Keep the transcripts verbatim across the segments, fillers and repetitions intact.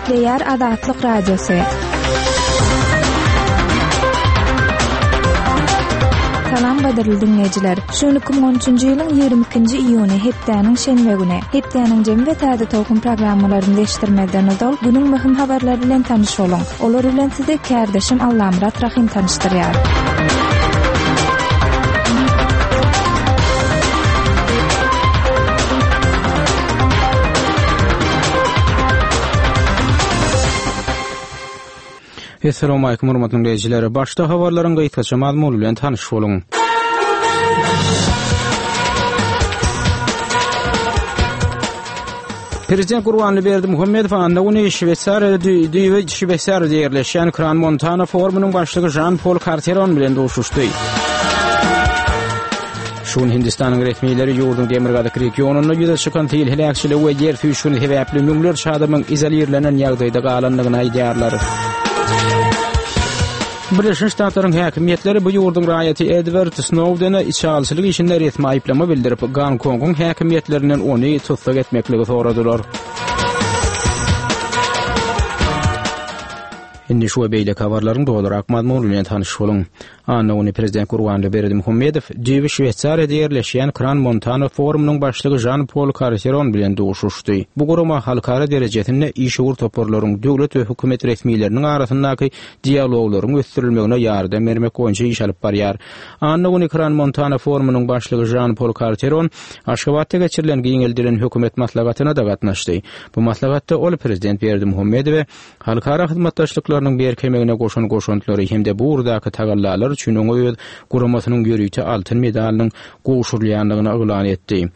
Gepleýär Azatlyk Radiosy. Salam gadyrly diňleýjiler. Şu gün iki müň on üçünji ýylyň ýigrimi ikinji iýuny hepdäniň şenbe güni. Hepdäniň jemi we täze towhun programmalaryny eşitdirmezden ozal günüň möhüm habarlary bilen tanyş boluň. Olar bilen sizi kärdeşim Allamyrat Rahim tanyşdyrýar. Esselamu aleýkum hormatly dinleýjiler. Başda habarlaryň gysgaça mazmuny bilen tanyş boluň. Prezident Gurbanguly Berdimuhamedow anna güni Şweýsariýada düýbi Şweýsariýada ýerleşýän Kran Montana forumynyň başlygy Žan-Pol Karteron bilen duşuşdy. Şu gün Hindistanyň resmileri ýurduň demirgazyk regionynda ýüze çykan sil heläkçiligi we ýer süýşgüni sebäpli müňlerçe adamyň izolirlenen ýagdaýda galandygyny aýdýarlar. Birleşen Ştatlaryň häkimiýetleri bu ýurduň raýaty Edward Snowdene içalyçylyk işinde resmi aýyplama bildirip, Gonkongyň häkimiýetlerinden ony tussag etmekligi soradylar. Indi şu we beýleki habarlaryň dolurak mazmuny bilen tanyş boluň. Anna güni Prezident Gurbanguly Berdimuhamedow düýbi Şweýsariýada ýerleşýän Kran Montana forumynyň başlygy Žan-Pol Karseron bilen duşuşdy. Bu gurama halkara derejesinde işewür toparlaryň, döwlet we hökümet resmileriniň arasyndaky dialoglaryň ösdürilmegine ýardam bermek boýunça iş alyp barýar. Anna güni Kran Montana forumynyň başlygy Žan-Pol Karteron Aşgabatda geçirilen giňeldilen hökümet maslahatyna-da gatnaşdy. Bu maslahatda ol Prezident Berdimuhamedowe halkara hyzmatdaşlyklarynyň berkemegine goşan goşantlary hem-de bu ugurdaky tagallalar üçin oňa öz guramasynyň ýörite altyn medalynyň gowşurylýandygyny yglan etdi.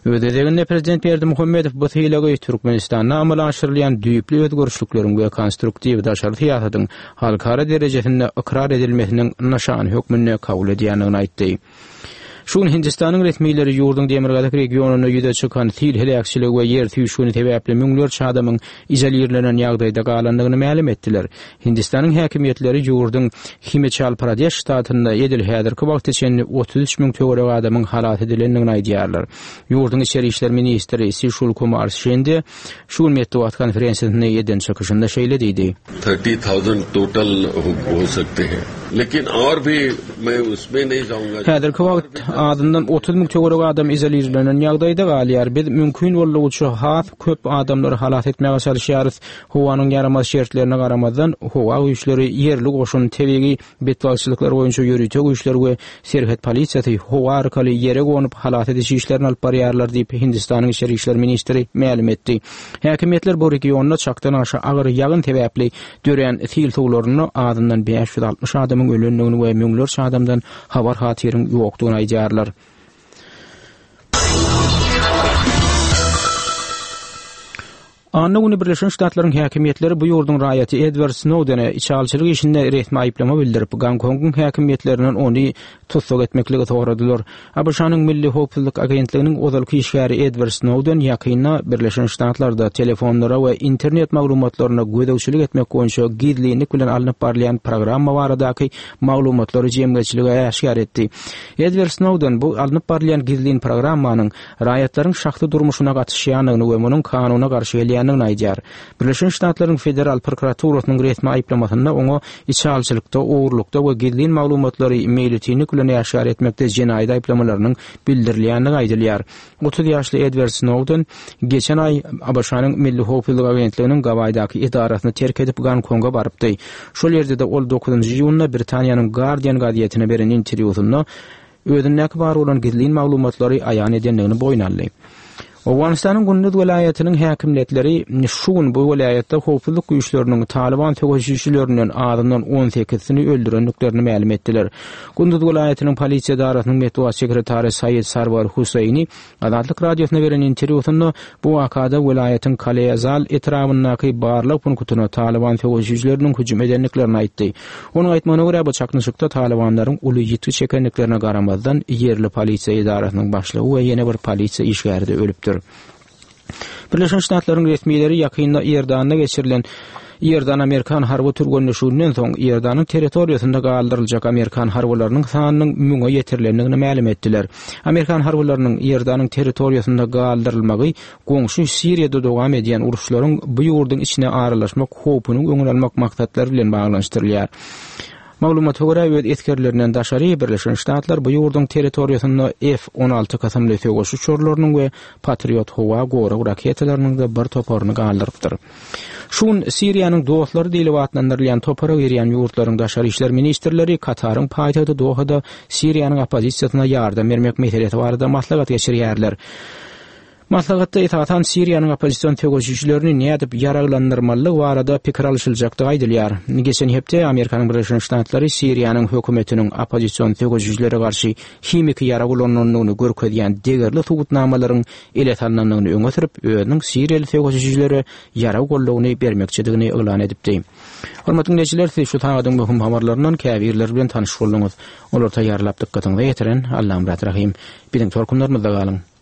Öz gezeginde Prezident Berdimuhamedow bu sylagy Türkmenistanda amala aşyrylýan düýpli özgerişlikleriň we konstruktiw daşary syýasatyň halkara derejesinde ykrar edilmesiniň nyşany hökmünde kabul edýändigini aýtdy. Şu gün Hindistanyň resmileri ýurduň demirgazyk regionynda ýüze çykan sil heläkçiligi we ýer süýşgüni sebäpli müňlerçe adamyň izolirlenen ýagdaýda galandygyny mälim etdiler. Hindistanyň häkimiýetleri ýurduň Himachal Pradeş ştatynda edil häzirki wagta çenli otuz üç müň töweregi adamyň halas edilendigini aýdýarlar. Ýurduň içeri işler ministri Sişul Kumar Şende şu gün metbugat konferensiýasynda eden çykyşynda şeýle diýdi. Thirty thousand total ho sakte hain. Lekin aur bhi men usme nahi jaunga. Häzirki wagt azyndan otuz müň töweregi adam izolirlenen ýagdaýda galýar. Biz mümkin boldugyça has köp adamlary halas etmäge çalyşýarys. Howanyň ýaramaz şertlerine garamazdan, howa güýçleri, ýerli goşun, tebigy betbagtçylyklar boýunça ýörite güýçler we serhet polisiýasy howa arkaly ýere gonup halas ediş işlerini alyp barýarlar diýip, Hindistanyň içeri işler ministri mälim etdi. Häkimiýetler bu regionda çakdan aşa agyr ýagyn sebäpli dörän sil suwlarynda azyndan bäş ýüz altmyş adamyň ölendigini we müňlerçe adamdan habar hatyryň ýokdugyny aýdýarlar. Anna güni Birleşen Ştatlaryň häkimiýetleri bu ýurduň raýaty Edward Snowdene içalyçylyk işinde resmi aýyplama bildirip, Gonkongyň häkimiýetlerinden ony tussag etmekligi soradylar. A B Ş-nyň Milli howpsuzlyk agentliginiň ozalky işgäri Edward Snowden ýakynda Birleşen Ştatlarda telefonlara we internet maglumatlaryna gözegçilik etmek boýunça gizlinlik bilen alnyp barylýan programma baradaky maglumatlary jemgyýetçilige äşgär etdi. Edward Snowden bu alnyp barylýan gizlin programmanyň raýatlaryň şahsy durmuşyna gatyşýandygyny we munuň kanuna garşy gelýändigini aýdýar. Birleşen Ştatlaryň Federal prokuraturasynyň resmi aýyplamasynda oňa içalyçylykda, ogurlykda we gizlin maglumatlary meýletinlik bilen äşgär etmekde jenaýat aýyplamalarynyň bildirilýändigi aýdylýar. Otuz ýaşly Edward Snowden geçen aý A B Ş-nyň Milli howpsuzlyk agentliginiň Gawaýdaky edarasyny terk edip Gonkonga barypdy. Şol ýerde-de ol dokuzynjy iýunda Britaniýanyň Guardian gazetine beren interwýusynda özündäki bar bolan gizlin maglumatlary aýan edendigini boýun aldy. Owganystanyň Gunduz welaýatynyň häkimiýetleri şu gün bu welaýatda howpsuzlyk güýçleriniň Talyban söweşijilerinden azyndan on sekizsini öldürendiklerini mälim etdiler. Gunduz welaýatynyň polisiýa edarasynyň metbugat sekretary Said Sarwar Huseýni Azatlyk radiosyna beren interwýusynda bu wakada welaýatyň Kaleýazal etrabyndaky barlag punktyna Talyban söweşijileriniň hüjüm edendiklerini aýtdy. Onuň aýtmagyna görä, bu çaknyşykda Talybanlaryň uly ýitgi çekendiklerine garamazdan, ýerli polisiýa edarasynyň başlygy we ýene bir polisiýa işgäri-de ölüpdir. Birleşen Ştatlaryň resmileri ýakynda Iordanda geçirilen Iordan Amerikan harby türgenleşiginden soň Iordanyň territoriýasynda galdyryljak Amerikan harbylarynyň sanynyň müňe ýetirilendigini mälim etdiler. Amerikan harbylarynyň Iordanyň territoriýasynda galdyrylmagy goňşy Siriýada dowam edýän uruşlaryň bu ýurduň içine aralaşmak howpunyň öňüni almak maksatlary bilen baglanyşdyrylýar. Maglumata görä öz esgerlerinden daşary Birleşen Ştatlar bu ýurduň territoriýasynda F on alty kysymly söweş uçarlarynyň we Patriot howa gorag raketalarynyň da bir toparyny galdyrypdyr. Şu gün Siriýanyň dostlary diýlip atlandyrylýan topara girýän ýurtlaryň daşary işler ministrleri Kataryň paýtagty Dohada Siriýanyň oppozisiýasyna ýardam bermek meselesi barada maslahat geçirýärler. Maslahatda esasan Siriýanyň oppozision söweşijilerini nädip ýaraglandyrmalydygy barada pikir alyşyljakdygy aýdylýar. Geçen hepde Amerikanyň Birleşen Ştatlary Siriýanyň hökümetiniň oppozision söweşijilere garşy himiki ýarag ulanandygyny görkezýän degerli subutnamalaryň ele salnandygyny öňe sürüp, özüniň Siriýaly söweşijilere ýarag goldawyny bermekçidigini yglan edipdi. Hormatly dinleýjiler, siz şu sagadyň möhüm habarlaryndan käbirleri bilen tanyş bolduňyz. Olar taýýarlap dykgatyňyza ýetiren Allamyrat Rahim. Biziň tolkunlarymyzda galyň.